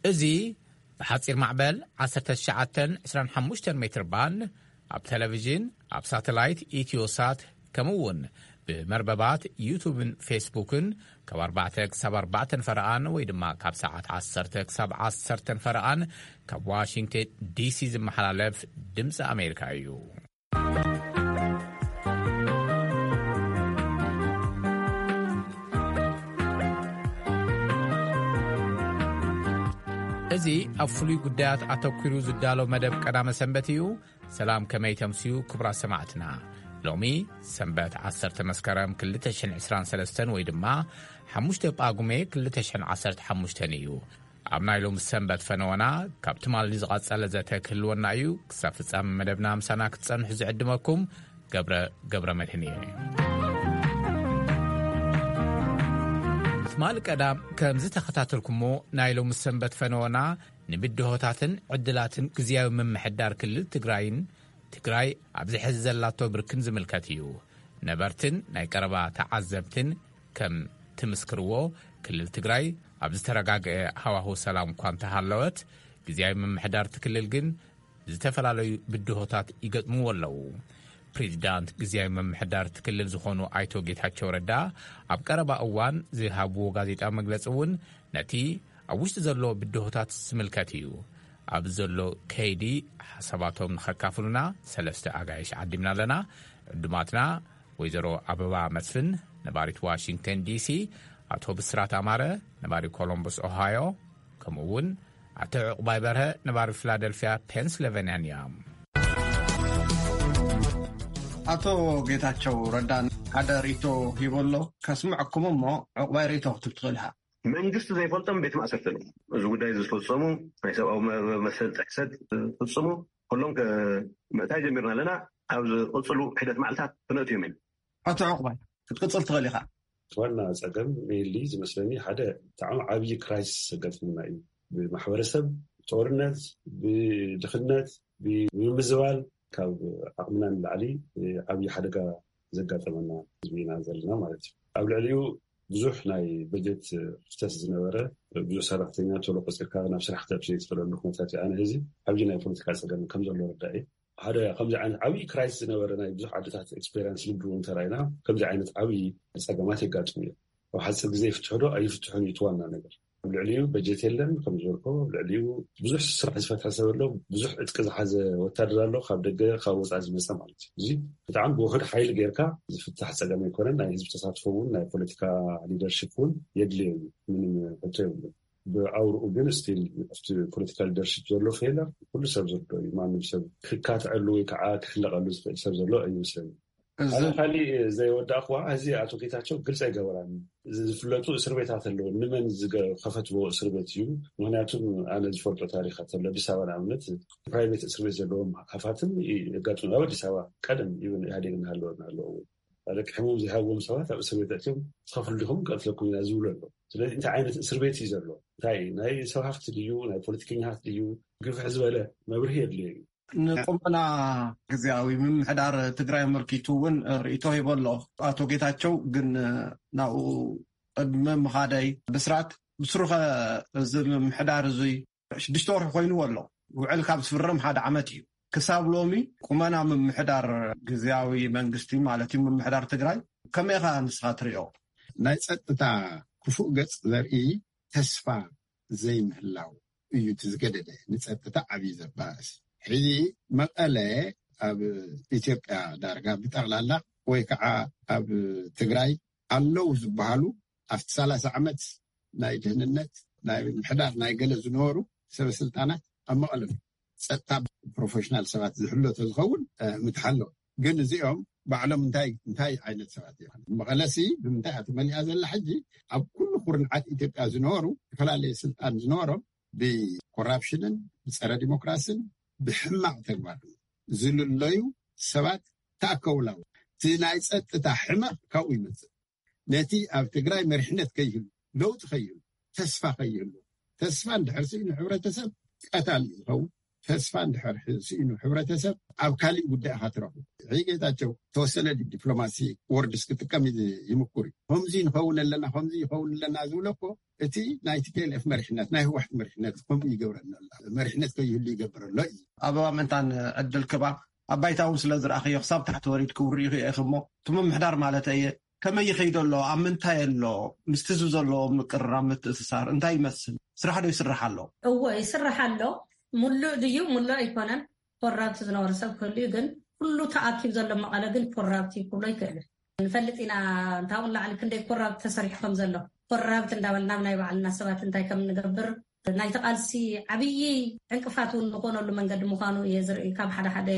እዚ ብሓጺር ማዕበል ዓሰርተ ትሽዓተ ዕስራን ሓሙሽተን ሜትር ባንድ፣ ኣብ ቴሌቪዥን፣ ኣብ ሳተላይት ኢትዮሳት፣ ከምኡ እውን ብመርበባት ዩቱብን ፌስቡክን ካብ ኣርባዕተ ክሳብ ኣርባዕተ ፈረቓን ወይ ድማ ካብ ሰዓት ዓሰርተ ክሳብ ዓሰርተ ፈረቓን ካብ ዋሽንግተን ዲሲ ዝመሓላለፍ ድምፂ ኣሜሪካ እዩ። እዚ ኣብ ፍሉይ ጉዳያት ኣተኲሩ ዝዳሎ መደብ ቀዳመ ሰንበት እዩ። ሰላም፣ ከመይ ተምስዩ ክቡራት ሰማዕትና? ሎሚ ሰንበት ዓሰርተ መስከረም ክልተ ሽሕን ዕስራን ሰለስተን ወይ ድማ ሓሙሽተ ጳጉሜ ክልተ ሽሕን ዓሰርተ ሓሙሽተን እዩ። ኣብ ናይ ሎሚ ሰንበት ፈነወና ካብ ትማሊ ዝቐጸለ ዘተ ክህልወና እዩ። ክሳብ ፍጻመ መደብና ምሳና ክትጸንሑ ዝዕድመኩም ገብረ፣ ገብረ መድህን እየ። ትማሊ ቀዳም ከም ዝተኸታተልኩሞ ናይ ሎሚ ሰንበት ፈነወና ንብድሆታትን ዕድላትን ግዝያዊ ምምሕዳር ክልል ትግራይን ትግራይ ኣብዚ ሕዚ ዘላቶ ብርክን ዝምልከት እዩ። ነበርትን ናይ ቀረባ ተዓዘብትን ከም ትምስክርዎ፣ ክልል ትግራይ ኣብ ዝተረጋገአ ሃዋሁ ሰላም እኳ እንተሃለወት፣ ግዝያዊ ምምሕዳር እቲ ክልል ግን ዝተፈላለዩ ብድሆታት ይገጥምዎ ኣለዉ። ፕሬዚዳንት ግዝያዊ ምምሕዳር እቲ ክልል ዝኾኑ ኣይቶ ጌታቸው ረዳ ኣብ ቀረባ እዋን ዝሃብዎ ጋዜጣ መግለፂ እውን ነቲ ኣብ ውሽጢ ዘሎ ብድሆታት ዝምልከት እዩ። ኣብ ዘሎ ከይዲ ሓሳባቶም ንኸካፍሉና ሰለስተ ኣጋይሽ ዓዲምና ኣለና። ዕዱማትና ወይዘሮ ኣበባ መስፍን፣ ነባሪት ዋሽንግተን ዲሲ፣ ኣቶ ብስራት ኣማረ፣ ነባሪ ኮሎምበስ ኦሃዮ፣ ከምኡ እውን ኣቶ ዕቑባይ በርሀ፣ ነባሪ ፊላደልፊያ ፔንስልቨንያን እዮም። ኣቶ ጌታቸው ረዳ ሓደ ርእይቶ ሂቦ ኣሎ፣ ከስምዐኩም እሞ ዕቑባይ ርእይቶ ክትብ ትኽእል ኢኻ። መንግስቲ ዘይፈልጦም ቤት ማእሰርቲ ኣለዉ። እዚ ጉዳይ ዝፈጸሙ፣ ናይ ሰብኣዊ መ-፣ መሰል ጥሕሰት ዝፍጽሙ፣ ኩሎም ከ-፣ ምእታይ ጀሚርና ኣለና። ኣብ ዝቕጽሉ ሒደት መዓልታት ክነእትዮም ኢና። ኣቶ ዕቑባይ፣ ክትቅጽል ትኽእል ኢኻ። እቲ ዋና ጸገም ሜይንሊ ዝመስለኒ ሓደ ብጣዕሚ ዓብዪ ክራይሲስ ዘጋጥመና እዩ። ብማሕበረሰብ፣ ብጦርነት፣ ብድኽነት፣ ብምምዝባል ካብ ዓቕምና ንላዕሊ ዓብዪ ሓደጋ ዘጋጠመና ህዝቢ ኢና ዘለና ማለት እዩ። ኣብ ልዕሊኡ ብዙሕ ናይ በጀት ክፍተት ዝነበረ፣ ብዙሕ ሰራሕተኛ ቶሎ ቆፂርካ ናብ ስራሕ ክትኣቱ ዘይትኽእለሉ ኩነታት እዩ። ኣነ ህዚ ዓብዪ ናይ ፖለቲካ ፀገም ከም ዘሎ ርዳእ እዩ። ሓደ ከምዚ ዓይነት ዓብዪ ክራይስ ዝነበረ ናይ ብዙሕ ዓድታት ኤክስፔሪንስ ልምዲ እውን እንተራእና ከምዚ ዓይነት ዓብዪ ፀገማት የጋጥሙ እዮም። ኣብ ሓፂር ግዜ ይፍትሑ ዶ ኣይፍትሑን እዩ እቲ ዋና ነገር። ኣብ ልዕሊኡ በጀት የለን ከም ዝበልኮ፣ ኣብ ልዕሊኡ ብዙሕ ስራሕ ዝፈትሐ ሰብ ኣሎ፣ ብዙሕ ዕጥቂ ዝሓዘ ወታደር ኣሎ፣ ካብ ደገ ካብ ወፃኢ ዝመፀ ማለት እዩ። እዚ ብጣዕሚ ብውሑድ ሓይሊ ጌርካ ዝፍታሕ ፀገም ኣይኮነን። ናይ ህዝቢ ተሳትፎ እውን ናይ ፖለቲካ ሊደርሽፕ እውን የድልዮ እዩ፣ ምንም ሕቶ የብሉን። ብኣውርኡ ግን ስቲል ኣብቲ ፖለቲካ ሊደርሽፕ ዘሎ ፌለር ኩሉ ሰብ ዝርዶ እዩ። ማንም ሰብ ክካትዐሉ ወይ ከዓ ክሕለቐሉ ዝኽእል ሰብ ዘሎ ኣይመስለኒ። እዚ ሓደ ካሊእ ዘይወዳእኩዋ፣ እዚ ኣቶ ጌታቸው ግልፂ ኣይገበራን። ዝፍለጡ እስር ቤታት ኣለዉ። ንመን ዝገ-፣ ከፈትዎ እስር ቤት እዩ? ምክንያቱም ኣነ ዝፈልጦ ታሪኻት ኣሎ። ኣዲስ ኣበባ ንኣብነት ፕራይቬት እስር ቤት ዘለዎም ሃፋትም ይ-፣ የጋጥሙ። ኣብ ኣዲስ ኣበባ ቀደም ይብን ኢህኣዴግ እናሃለወ እናሃለዎ እውን ኣለቂ ሕሞም ዘይሃብዎም ሰባት ኣብ እስር ቤት ኣትዮም ትኸፍሉ ዲኹም ቀትለኩም ኢና ዝብሉ ኣሎ። ስለዚ እንታይ ዓይነት እስር ቤት እዩ ዘሎ? እንታይ ናይ ሰብ ሃፍቲ ድዩ? ናይ ፖለቲከኛታት ድዩ? ግፍሕ ዝበለ መብርሂ የድልዮ እዩ። ንቁመና ግዜያዊ ምምሕዳር ትግራይ ኣመልኪቱ እውን ርእይቶ ሂቦ ኣሎ ኣቶ ጌታቸው። ግን ናብኡ ቅድሚ ምኻደይ ብስራት ብስሩኸ እዚ ምምሕዳር እዙይ ሽዱሽተ ወርሒ ኮይንዎ ኣሎ። ውዕል ካብ ዝፍረም ሓደ ዓመት እዩ። ክሳብ ሎሚ ቁመና ምምሕዳር ግዜያዊ መንግስቲ ማለት እዩ ምምሕዳር ትግራይ ከመይ ኢኻ ንስኻ ትሪኦ? ናይ ጸጥታ ክፉእ ገጽ ዘርኢ ተስፋ ዘይምህላው እዩ እቲ ዝገደደ ንጸጥታ ዓብዪ ዘባእስ። ሕዚ መቐለ ኣብ ኢትዮጵያ ዳርጋ ብጠቕላላ ወይ ከዓ ኣብ ትግራይ ኣለዉ ዝበሃሉ ኣብቲ ሰላሳ ዓመት ናይ ድህንነት ናይ ምሕዳር ናይ ገለ ዝነበሩ ሰበ ስልጣናት ኣብ መቐለ ጸጥታ ፕሮፌሽናል ሰባት ዝሕሎ ተዝኸውን ምትሓሎ። ግን እዚኦም ባዕሎም እንታይ እንታይ ዓይነት ሰባት እዮም? መቐለሲ ብምንታይ እያ ተመሊኣ ዘላ? ሕጂ ኣብ ኩሉ ኩርንዓት ኢትዮጵያ ዝነበሩ ዝተፈላለየ ስልጣን ዝነበሮም ብኮራፕሽንን ብፀረ ዲሞክራስን ብሕማቕ ተግባር ዝልለዩ ሰባት ተኣከቡላ። እቲ ናይ ፀጥታ ሕመቕ ካብኡ ይመፅእ። ነቲ ኣብ ትግራይ መሪሕነት ከይህሉ፣ ለውጢ ከይህሉ፣ ተስፋ ከይህሉ፣ ተስፋ እንድሕር ስኢኑ ሕብረተሰብ ቀታሊ እዩ ዝኸውን። ተስፋ እንድሕር ስኢኑ ሕብረተሰብ ኣብ ካሊእ ጉዳይ ኢኻ ትረኽቡ። ሕጂ ጌታቸው ተወሰነ ዲ-፣ ዲፕሎማሲ ወርድስ ክጥቀም ይ-፣ ይምኩር እዩ። ከምዚ ንኸውን ኣለና፣ ከምዚ ይኸውን ኣለና ዝብሎ እኮ እቲ ናይ ቲ ፒ ኤል ኤፍ መሪሕነት፣ ናይ ህወሓት መሪሕነት ከምኡ ይገብረና ኣሎ። መሪሕነት ከይህሉ ይገብር ኣሎ እዩ። ኣበባ ምእንታን ዕድል ክባ ኣብ ባይታ እውን ስለ ዝረኣኽዮ ክሳብ ታሕቲ ወሪድክውን ርኢኽዮ ኢኺ እሞ እቲ ምምሕዳር ማለት እየ ከመይ ይኸይዶ ኣሎ? ኣብ ምንታይ ኣሎ? ምስቲ ህዝቢ ዘለዎ ምቅርራብ ምትእስሳር እንታይ ይመስል? ስራሕ ዶ ይስራሕ ኣሎ? እዎ ይስራሕ ኣሎ። ሙሉእ ድዩ ሙሉእ ኣይኮነን። ኮራፕት ዝነበረ ሰብ ክህሉ እዩ፣ ግን ኩሉ ተኣኪብ ዘሎ መቐለ ግን ኮራፕት እዩ ክብሎ ይክእል። ንፈልጥ ኢና እንታውን ላዕሊ ክንደይ ኮራፕት ተሰሪሑ ከም ዘሎ። ኮራፕት እንዳበልና ኣብ ናይ ባዕልና ሰባት እንታይ ከም ንገብር ናይቲ ቃልሲ ዓብዪ ዕንቅፋት እውን ዝኾነሉ መንገዲ ምዃኑ እየ ዝርኢ ካብ ሓደ ሓደ፣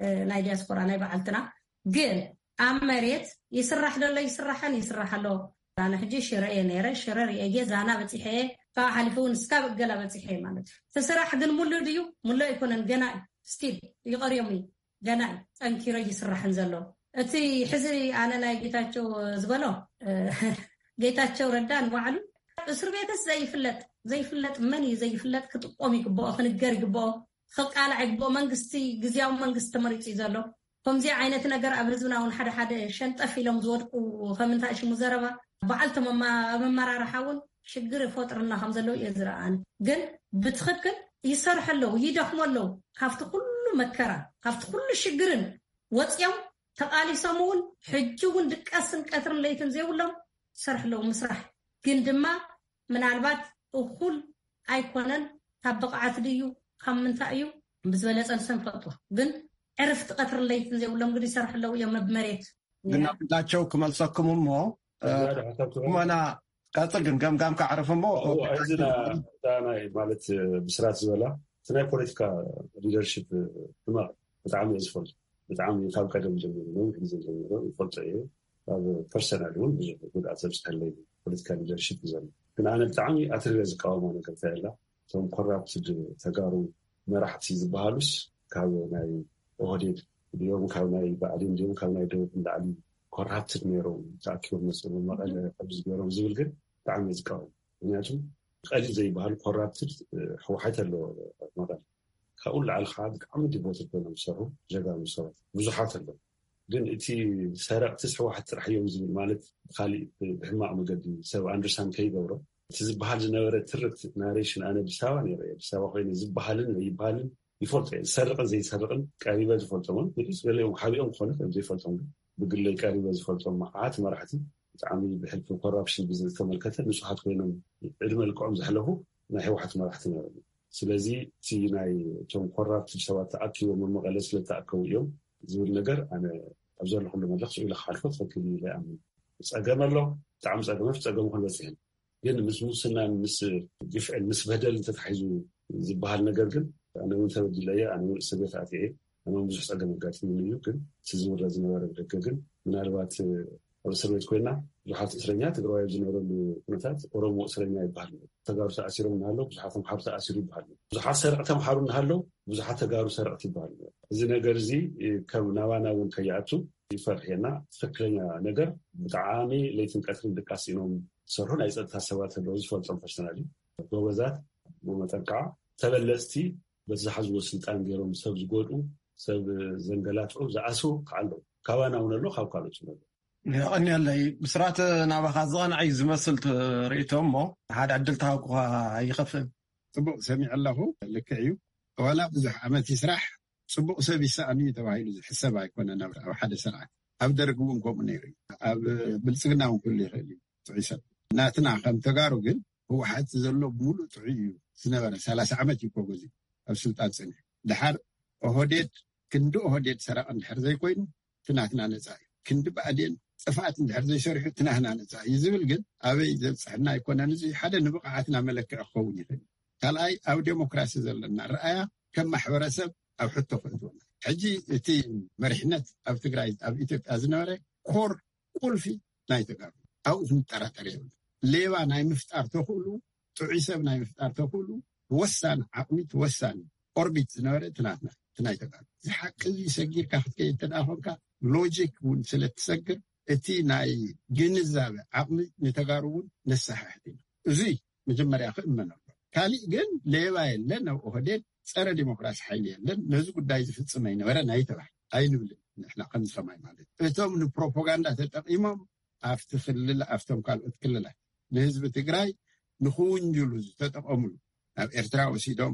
እ፣ ናይ ዲያስፖራ ናይ በዓልትና። ግን ኣብ መሬት ይስራሕ ደሎ ይስራሕን ይስራሕ ኣሎ። ኣነ ሕጂ ሽረ እየ ነይረ፣ ሽረ ርእየ እየ፣ ዛና በፂሐ እየ፣ ካብ ሓሊፉ እውን እስካብ እገላ በፂሐ እየ ማለት እዩ። እቲ ስራሕ ግን ሙሉእ ድዩ? ሙሉእ ኣይኮነን፣ ገና እዩ። ስቲል ይቐርዮም እዩ፣ ገና እዩ ጠንኪሮ ይስራሕን ዘሎ። እቲ ሕዚ ኣነ ናይ ጌታቸው ዝበሎ፣ እ፣ ጌታቸው ረዳ ንባዕሉ እስር ቤትስ ዘይፍለጥ፣ ዘይፍለጥ መን እዩ ዘይፍለጥ ክጥቆም ይግብኦ፣ ክንገር ይግብኦ፣ ክቃላዕ ይግብኦ። መንግስቲ፣ ግዝያዊ መንግስቲ ተመሪጹ እዩ ዘሎ። ከምዚ ዓይነት ነገር ኣብ ህዝብና እውን ሓደ ሓደ ሸንጠፍ ኢሎም ዝወድቁ ከም እንታይ ሽሙ ዘረባ በዓልቶም ኣማ-፣ ኣብ ኣመራርሓ እውን ሽግር ይፈጥርና ከም ዘለዉ እየ ዝረኣኒ። ግን ብትኽክል ይሰርሑ ኣለዉ፣ ይደኽሙ ኣለዉ። ካብቲ ኩሉ መከራ፣ ካብቲ ኩሉ ሽግርን ወፂኦም ተቓሊሶም እውን ሕጂ እውን ድቃስን ቀትርን ለይትን ዘይብሎም ይሰርሑ ኣለዉ። ምስራሕ ግን ድማ ምናልባት እኹል ኣይኮነን። ካብ ብቕዓት ድዩ ካብ ምንታይ እዩ ብዝበለፀ ንሶም ይፈልጡ። ግን ዕርፍቲ ቀትርን ለይትን ዘይብሎም ግን ይሰርሑ ኣለዉ እዮም ኣብ መሬት። ግን ናብላቸው ክመልሰኩም እሞ፣ እ፣ ዝያዳ ሓሳብ ትህቡ? እሞና ቀፅል ግን ገምጋም ካዕርፍ እሞ፣ እዎ፣ እዚ ና-፣ እታ ናይ ማለት ብስራት ዝበላ እቲ ናይ ፖለቲካ ሊደርሽፕ ሕማቕ ብጣዕሚ እየ ዝፈልጦ። ብጣዕሚ ካብ ቀደም ጀሚሩ፣ ነዊሕ ግዜ ጀሚሩ ይፈልጦ እየ። ኣብ ፐርሰናል እውን ብዙሕ ጉድኣት ዘብፅሐለይ ፖለቲካ ሊደርሽፕ እዩ ዘሎ። ግን ኣነ ብጣዕሚ ኣትሪረ ዝቃወሞ ነገር እንታይ ኣላ፣ እቶም ኮራፕትድ ተጋሩ መራሕቲ ዝበሃሉስ ካብ ናይ ኦህዴድ ድዮም፣ ካብ ናይ ብኣዴን ድዮም፣ ካብ ናይ ደቡብ ንላዕሊ ኮራፕትድ ነይሮም ተኣኪቦም መፅኦም መቐለ ከምዚ ገይሮም ዝብል ግን ብጣዕሚ እየ ዝቃወም። ምክንያቱ ቀሊል ዘይበሃል ኮራፕትድ ህወሓት ኣሎ መቐለ። ካብኡ ንላዕሊ ከዓ ብጣዕሚ ዲቮትድ ኮይኖም ዝሰርሑ ጀጋኑ ሰባት ብዙሓት ኣለዉ። ግን እቲ ሰረቕትስ ህወሓት ጥራሕ እዮም ዝብል ማለት ብካሊእ ብሕማቕ መገዲ ሰብ ኣንደርስታንድ ከይገብሮ እቲ ዝበሃል ዝነበረ ትርክት ናሬሽን ኣነ ኣዲስ ኣበባ ነይረ እየ። ኣዲስ ኣበባ ኮይነ ዝበሃልን ዘይበሃልን ይፈልጦ እየ። ዝሰርቕን ዘይሰርቕን ቀሪበ ዝፈልጦምን ንስ ገሊኦም ሓቢኦም ክኾኑ ከም ዘይፈልጦም ግን ብግለይ ቀሪበ ዝፈልጦም መዓት መራሕቲ ብጣዕሚ ብሕልፊ ኮራፕሽን ብዝተመልከተ ንጹሃት ኮይኖም ዕድመ ልክዖም ዘሕለፉ ናይ ህወሓት መራሕቲ ነይሮም። ስለዚ እቲ ናይ እቶም ኮራፕትድ ሰባት ተኣኪቦም ኣብ መቐለ ስለ ዝተኣከቡ እዮም ዝብል ነገር ኣነ ኣብ ዘለኹሉ መድረኽ ስኢለ ክሓልፎ ትኽክል እዩ ኢለ ይኣምን። ጸገም ኣሎ፣ ብጣዕሚ ጸገም፣ ኣብቲ ጸገም ክበጽሕ ግን ምስ ሙስናን ምስ ግፍዕን ምስ በደል እንተተሓሒዙ ዝበሃል ነገር ግን ኣነ እውን ተበዲለ እየ፣ ኣነ እውን እስር ቤት ኣትየ እየ፣ ኣነ እውን ብዙሕ ጸገም ኣጋጢሙኒ እዩ። ግን እቲ ዝውረ ዝነበረ ብደገ ግን ምናልባት ኣብ እስር ቤት ኮይና ብዙሓት እስረኛ ትግራዋይ ኣብ ዝነበረሉ ኩነታት ኦሮሞ እስረኛ ይበሃል ነይሩ። ተጋሩ ተኣሲሮም እናሃለዉ ብዙሓት ተምሓሩ ተኣሲሩ ይበሃል ነይሩ። ብዙሓት ሰረቕ ተምሓሩ እናሃለዉ ብዙሓት ተጋሩ ሰረቕቲ ይበሃል ነይሩ። እዚ ነገር እዚ ከም ናባና እውን ከይኣቱ ይፈርሕየና። ትኽክለኛ ነገር ብጣዕሚ ለይትን ቀትርን ድቃስ ኢኖም ዝሰርሑ ናይ ጸጥታ ሰባት ኣለዉ፣ ዝፈልጦም ፐርሰናሊ ጎበዛት፣ ብመጠን ከዓ ተበለጽቲ በቲ ዝሓዝዎ ስልጣን ገይሮም ሰብ ዝጎድኡ፣ ሰብ ዘንገላትዑ፣ ዝኣስሩ ከዓ ኣለዉ። ካባና እውን ኣሎ፣ ካብ ካልኦት እውን ኣሎ። የቐንየለይ። ብስራት ናባኻ ዝቐንዐ እዩ ዝመስል እቲ ርእይቶ እሞ ሓደ ዕድል ተሃብኩኻ ኣይኸፍእን። ጽቡቕ ሰሚዐ ኣለኹ። ልክዕ እዩ። ዋላ ብዙሕ ዓመት ይስራሕ ጽቡቕ ሰብ ይሰኣን እዩ ተባሂሉ ዝሕሰብ ኣይኮነን። ኣብ፣ ኣብ ሓደ ስርዓት ኣብ ደርግ እውን ከምኡ ነይሩ እዩ። ኣብ ብልጽግና እውን ክህሉ ይኽእል እዩ ጥዑይ ሰብ። ናትና ከም ተጋሩ ግን ህወሓት ዘሎ ብምሉእ ጥዑይ እዩ ዝነበረ። ሰላሳ ዓመት እዩ እኮ ገዚኡ ኣብ ስልጣን ጸኒሑ። ድሓር ኦህዴድ ክንዲ ኦህዴድ ሰራቂ እንድሕር ዘይኮይኑ እቲ ናትና ነጻ እዩ። ክንዲ ብኣዴን ጥፍኣት እንድሕር ዘይሰሪሑ እቲ ናትና ነጻ እዩ ዝብል ግን ኣበይ ዘብጽሐና ኣይኮነን። እዚ ሓደ ንብቕዓትና መለክዒ ክኸውን ይኽእል እዩ። ካልኣይ ኣብ ዴሞክራሲ ዘለና ረኣያ ከም ማሕበረሰብ ኣብ ሕቶ ከእትወና። ሕጂ እቲ መሪሕነት ኣብ ትግራይ ኣብ ኢትዮጵያ ዝነበረ ኮር ቁልፊ ናይ ተጋሩ ኣብኡ ክንጠራጠር የብሉ። ሌባ ናይ ምፍጣር ተኽእሉ፣ ጥዑይ ሰብ ናይ ምፍጣር ተኽእሉ ወሳኒ ዓቕሚ፣ እቲ ወሳኒ ኦርቢት ዝነበረ እቲ ናትና፣ እቲ ናይ ተጋሩ። እዚ ሓቂ እዚ ሰጊርካ ክትከይድ እንተ ደኣ ኮንካ ሎጂክ እውን ስለ እትሰግር እቲ ናይ ግንዛበ ዓቕሚ ንተጋሩ እውን ነሰሓሕት ኢና። እዚ መጀመርያ ክእመን ኣሎ። ካሊእ ግን ሌባ የለን፣ ኣብ ኦህዴድ ጸረ ዲሞክራሲ ሓይሊ የለን፣ ነዚ ጉዳይ ዝፍጽም ኣይነበረን ኣይተባህለ ኣይንብልን። ንሕና ከምዚ ከማይ ማለት እቶም ንፕሮፓጋንዳ ተጠቂሞም ኣብቲ ክልል ኣብቶም ካልኦት ክልላት ንህዝቢ ትግራይ ንክውንጅሉ ዝተጠቀምሉ፣ ናብ ኤርትራ ወሲዶም፣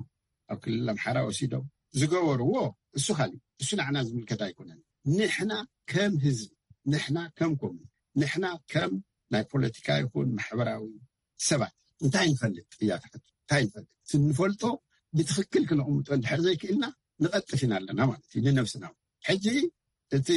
ኣብ ክልል ኣምሓራ ወሲዶም ዝገበርዎ፣ እሱ ካሊእ፣ እሱ ንዓና ዝምልከት ኣይኮነን። ንሕና ከም ህዝቢ፣ ንሕና ከም ኮሚኒ፣ ንሕና ከም ናይ ፖለቲካ ይኹን ማሕበራዊ ሰባት እንታይ ንፈልጥ እያ ትሓቱ? እንታይ ንፈልጥ? እቲ ንፈልጦ ብትኽክል ክነቕምጦ እንድሕር ዘይክእልና ንቐጥፍ ኢና ኣለና ማለት እዩ፣ ንነብስና። ሕጂ እቲ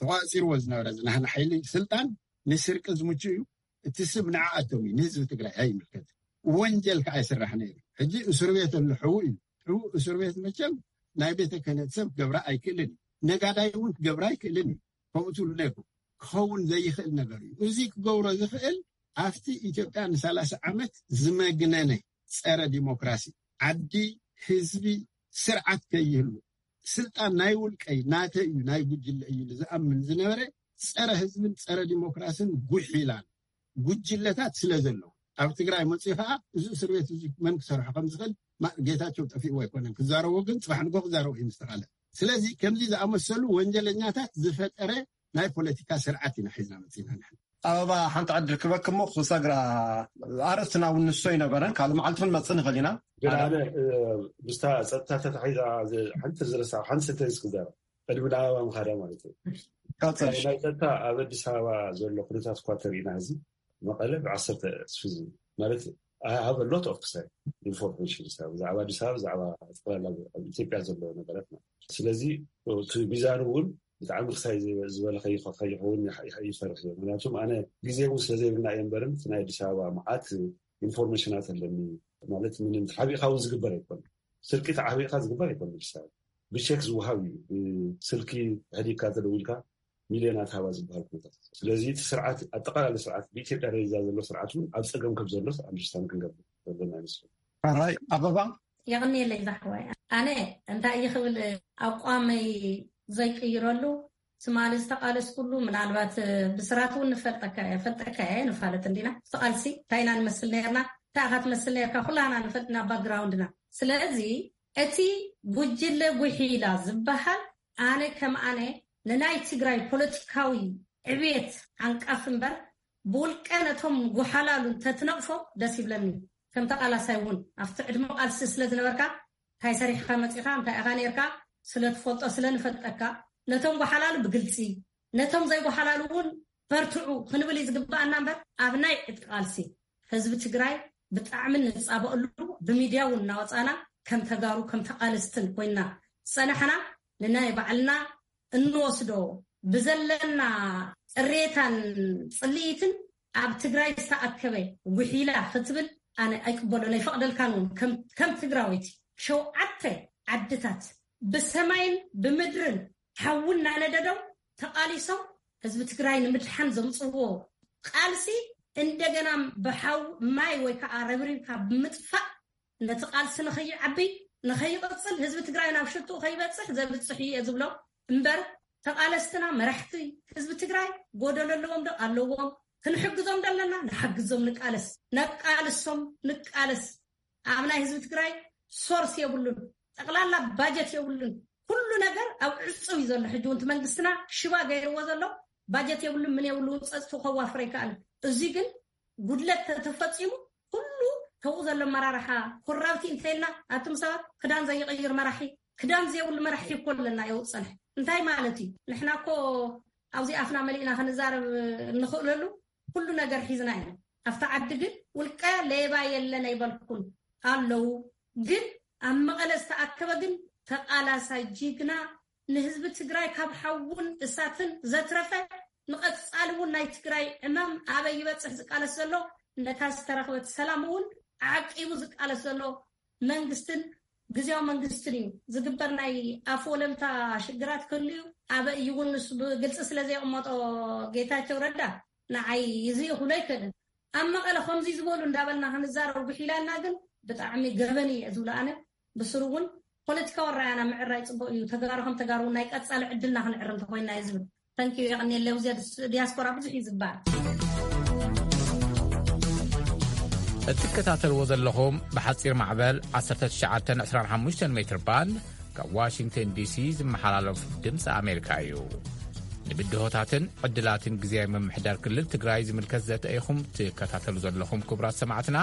ተቋፂርዎ ዝነበረ ዝናህና ሓይሊ ስልጣን ንስርቂ ዝምቹ እዩ። እቲ ስም ንዓኣቶም እዩ፣ ንህዝቢ ትግራይ ኣይምልከት። ወንጀል ከዓ ይስራሕ ነይሩ። ሕጂ እስር ቤት ኣሎ፣ ሕዉ እዩ። ሕዉ እስር ቤት መቸም ናይ ቤተ ክህነት ሰብ ክገብራ ኣይክእልን እዩ። ነጋዳይ እውን ክገብራ ኣይክእልን እዩ። ከምኡ ትብሉ ነይርኩም። ክኸውን ዘይኽእል ነገር እዩ። እዚ ክገብሮ ዝኽእል ኣብቲ ኢትዮጵያ ንሰላሳ ዓመት ዝመግነነ ጸረ ዲሞክራሲ፣ ዓዲ፣ ህዝቢ፣ ስርዓት ከይህሉ፣ ስልጣን ናይ ውልቀይ፣ ናተይ እዩ፣ ናይ ጉጅለ እዩ ኢሉ ዝኣምን ዝነበረ፣ ጸረ ህዝብን ጸረ ዲሞክራስን ጉሒላን ጉጅለታት ስለ ዘለዉ፣ ኣብ ትግራይ መፅኡ ከዓ እዚ እስር ቤት እዚ መን ክሰርሖ ከም ዝኽእል፣ ማ-፣ ጌታቸው ጠፊእዎ ኣይኮነን ክዛረቦ፣ ግን ፅባሕ ንጎ ክዛረቦ እዩ ምስ ተኻለ። ስለዚ ከምዚ ዝኣመሰሉ ወንጀለኛታት ዝፈጠረ ናይ ፖለቲካ ስርዓት ኢና ሒዝና መፂና ንሕና። ኣበባ፣ ሓንቲ ዕድል ክበክ እሞ ክሰግራ፣ ኣርእስትና እውን ንሶ ይነበረን ካልእ መዓልቲ ክንመፅእ ንኽእል ኢና። ግን ሓደ ኣነ እ፣ ምስታ ጸጥታ ተታሒዛ ዝ- ሓንቲ ዝረሳ ሓንቲ ሰንተንስ ክዛረብ፣ ቅድሚ ናብ ኣበባ ምኻዳ ማለት እዩ። ቀጽል። ናይ ጸጥታ ኣብ ኣዲስ ኣበባ ዘሎ ኩነታት እኳ ተሪእና፣ እዚ መቐለ ብዓሰርተ እስፊ ዝብል ማለት፣ I have a lot of to say, information ብዛዕባ ኣዲስ ኣበባ፣ ብዛዕባ ጠቕላላ ኣብ ኢትዮጵያ ዘሎ ነገራት ማለት። ስለዚ እቲ ሚዛን እውን ብጣዕሚ ክሳይ ዝበለ ከይኸውን ይፈርሕ እየ። ምክንያቱም ኣነ ግዜ እውን ስለዘይብልና እየ እምበርን፣ እቲ ናይ ኣዲስ ኣበባ መዓት ኢንፎርሜሽናት ኣለኒ። ማለት ምንም ተሓቢእካ እውን ዝግበር ኣይኮነ። ስርቂ ተሓቢእካ ዝግበር ኣይኮነ። ኣዲስ ኣበባ ብቼክ ዝወሃብ እዩ። ብስልኪ ሕዲግካ ተደዊልካ ሚልዮናት ሃባ ዝበሃል ኩነታት። ስለዚ እቲ ስርዓት፣ ኣጠቃላሊ ስርዓት፣ ብኢትዮጵያ ደረጃ ዘሎ ስርዓት እውን ኣብ ፀገም ከም ዘሎ ኣንደርስታንድ ክንገብር ዘለና ይመስለኒ። ሕራይ ኣበባ። የቕንየለይ ዛሕዋይ። ኣነ እንታይ እየ ክብል፣ ኣቋመይ ዘይቅይረሉ ትማሊ ዝተቃለስኩሉ፣ ምናልባት ብስራት እውን ንፈልጠካ እየ፣ ፈልጠካ እየ፣ ንፋለጥ እንዲና። እቲ ቃልሲ እንታይ ኢና ንመስል ነርና፣ እንታይ ኢኻ ትመስል ነርካ፣ ኩላና ንፈልጥና ባክግራውንድና። ስለዚ እቲ ጉጅለ ጉሒላ ዝበሃል፣ ኣነ ከም ኣነ ንናይ ትግራይ ፖለቲካዊ ዕብየት ዓንቃፍ እምበር፣ ብውልቀ ነቶም ጉሓላሉ እንተትነቕፎ ደስ ይብለኒ። ከም ተቃላሳይ እውን ኣብቲ ዕድመ ቃልሲ ስለ ዝነበርካ፣ እንታይ ሰሪሕካ መፂኻ፣ እንታይ ኢኻ ነርካ፣ ስለ ትፈልጦ፣ ስለ ንፈልጠካ፣ ነቶም ጓሓላሉ ብግልፂ፣ ነቶም ዘይጓሓላሉ እውን በርትዑ ክንብል እዩ ዝግባኣና እምበር፣ ኣብ ናይ ዕጥቂ ቃልሲ ህዝቢ ትግራይ ብጣዕሚ ንፃበኣሉ፣ ብሚድያ እውን እናወፃና ከም ተጋሩ፣ ከም ተቃለስትን ኮይና ዝፀናሕና፣ ንናይ ባዕልና እንወስዶ ብዘለና ቅሬታን ፅልኢትን ኣብ ትግራይ ዝተኣከበ ጉሒላ ክትብል ኣነ ኣይቅበሎን ኣይፈቕደልካን እውን። ከም፣ ከም ትግራወይቲ ሸውዓተ ዓድታት ብሰማይን ብምድርን ሓዊ እናነደዶም ተቓሊሶም ህዝቢ ትግራይ ንምድሓን ዘምፅዎ ቃልሲ እንደገና ብሓው ማይ ወይ ከዓ ረብሪብካ ብምጥፋእ ነቲ ቃልሲ ንኸይዓቢ ንኸይቕፅል ህዝቢ ትግራይ ናብ ሽትኡ ከይበፅሕ ዘብፅሕ እየ ዝብሎ እምበር ተቓለስትና መራሕቲ ህዝቢ ትግራይ ጎደሎ ኣለዎም ዶ? ኣለዎም። ክንሕግዞም ዶ ኣለና? ንሓግዞም፣ ንቃለስ፣ ነቃልሶም፣ ንቃለስ። ኣብ ናይ ህዝቢ ትግራይ ሶርስ የብሉን፣ ጠቕላላ ባጀት የብሉን። ኩሉ ነገር ኣብ ዕፁብ እዩ ዘሎ። ሕጂ እውን እቲ መንግስትና ሽባ ገይርዎ ዘሎ ባጀት የብሉን፣ ምን የብሉ፣ ፀፅቱ ከዋፍር ኣይከኣልን። እዚ ግን ጉድለት ተተፈፂሙ ኩሉ ተብኡ ዘሎ መራርሓ ኮራብቲ እንተይልና ኣቱም ሰባት ክዳን ዘይቕይር መራሒ ክዳን ዘይብሉ መራሒ እኮ ኣለና የውፅንሕ እንታይ ማለት እዩ? ንሕና እኮ ኣብዚ ኣፍና መሊእና ክንዛረብ እንኽእለሉ ኩሉ ነገር ሒዝና ኢና። ኣብቲ ዓዲ ግን ውልቀ ሌባ የለን ኣይበልኩን ኣለዉ። ግን ኣብ መቐለ ዝተኣከበ ግን ተቓላሳይ ጅግና ንህዝቢ ትግራይ ካብ ሓውን እሳትን ዘትረፈ ንቐፃሊ እውን ናይ ትግራይ ዕማም ኣበይ ይበፅሕ ዝቃለስ ዘሎ ነታ ዝተረኽበት ሰላም እውን ዓቂቡ ዝቃለስ ዘሎ መንግስትን ግዜያዊ መንግስትን እዩ። ዝግበር ናይ ኣፍ ወለምታ ሽግራት ክህሉ እዩ። ኣበይ እዩ እውን ንሱ ብግልፂ ስለ ዘየቕመጦ ጌታቸው ረዳ ንዓይ እዚ ክብሎ ኣይክእልን። ኣብ መቐለ ከምዚ ዝበሉ እንዳበልና ክንዛረብ ጉሒላና ግን ብጣዕሚ ገበን እየ ዝብሎ ኣነ። ብስሩ እውን ፖለቲካዊ ኣረኣእያና ምዕራይ ፅቡቅ እዩ። ተጋሩ ከም ተጋሩ ናይ ቀፃሊ ዕድልና ክንዕር እንተኮይና እየ ዝብል። ተንኪዩ የቐንየለይ። ኣብዚ ዲያስፖራ ብዙሕ እዩ ዝበሃል። እትከታተልዎ ዘለኹም ብሓጺር ማዕበል ዓሰርተ ትሽዓተ ዕስራን ሓሙሽተን ሜትር ባንድ ካብ ዋሽንግተን ዲሲ ዝመሓላለፍ ድምፂ ኣሜሪካ እዩ። ንብድሆታትን ዕድላትን ግዜያዊ ምምሕዳር ክልል ትግራይ ዝምልከት ዘተ ኢኹም ትከታተሉ ዘለኹም ክቡራት ሰማዕትና።